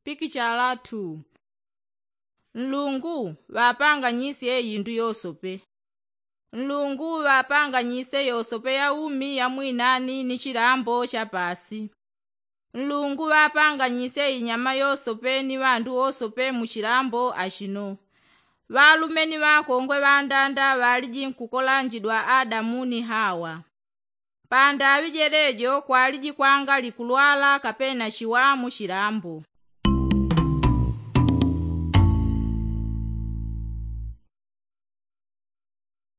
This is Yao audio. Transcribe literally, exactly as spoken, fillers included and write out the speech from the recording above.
Pikichala two. Nlungu ŵapanganyisye indu yosope. Nlungu ŵapanganyisye yosope ya umi ya mwinani ni chilambo cha paasi. Nlungu ŵapanganyisye inyama yosope ni ŵandu wosope mu chilambo achino. Ŵalume ni ŵankongwe ŵandanda ŵaliji nkukolanjidwa adamu ni hawa. Pandaŵi jelejo kwaliji kwangali kulwala kapena chiwamu chilambo.